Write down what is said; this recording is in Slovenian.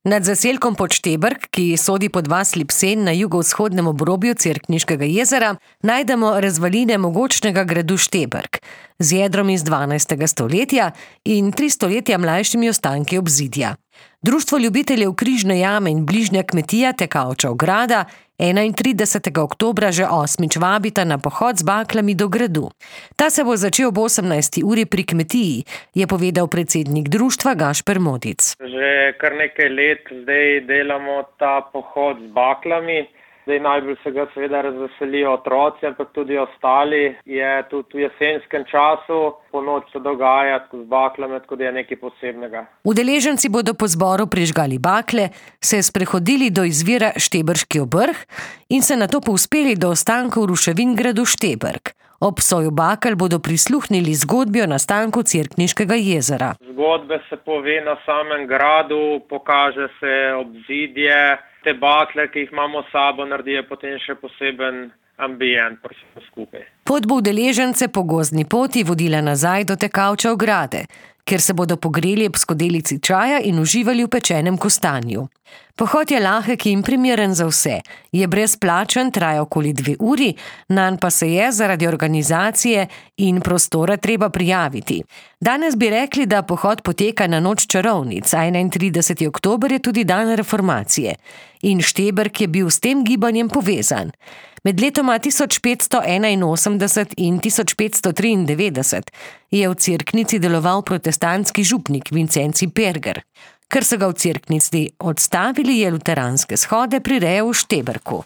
Nad zaselkom Podštebrk, ki sodi pod vas Lipsen na jugovzhodnem obrobju Cerkniškega jezera, najdemo razvaline mogočnega gradu Štebrk z jedrom iz 12. stoletja in 3 stoletja mlajšimi ostanki obzidja. Društvo ljubiteljev Križne jame in bližnja kmetija Tekavčev grada 31. oktobra že 8. vabita na pohod z baklami do gradu. Ta se bo začel ob 18. uri pri kmetiji, je povedal predsednik društva Gašper Modic. Že kar nekaj let zdaj delamo ta pohod z baklami. Zdaj najbolj se ga seveda razveselijo otroci, ampak tudi ostali. Je tudi v jesenskem času, po noč se dogaja z baklami, tako da je nekaj posebnega. Udeleženci bodo po zboru prižgali bakle, se sprehodili do izvira Štebrški obrh in se nato povzpeli do ostankov ruševin gradu Štebrk. Ob soju bakel bodo prisluhnili zgodbi o nastanku Cerkniškega jezera. Zgodbe se pove na samem gradu, pokaže se obzidje, te bakle, ki jih imamo s sabo, naredijo potem še poseben ambient skupaj. Pot bo udeležence po gozdni poti vodila nazaj do Tekavčev grade, kjer se bodo pogreli ob skodelici čaja in uživali v pečenem kostanju. Pohod je lahek in primeren za vse. Je brezplačen, traja okoli 2 uri, nanj pa se je zaradi organizacije in prostora treba prijaviti. Danes bi rekli, da pohod poteka na noč čarovnic, 31. oktober je tudi dan reformacije. In Štebrk je bil s tem gibanjem povezan. Med letoma 1581 in 1593 je v Cerknici deloval protestantski župnik Vincenci Perger. Ker so ga v Cerknici odstavili, je luteranske shode prirejal v Štebrku.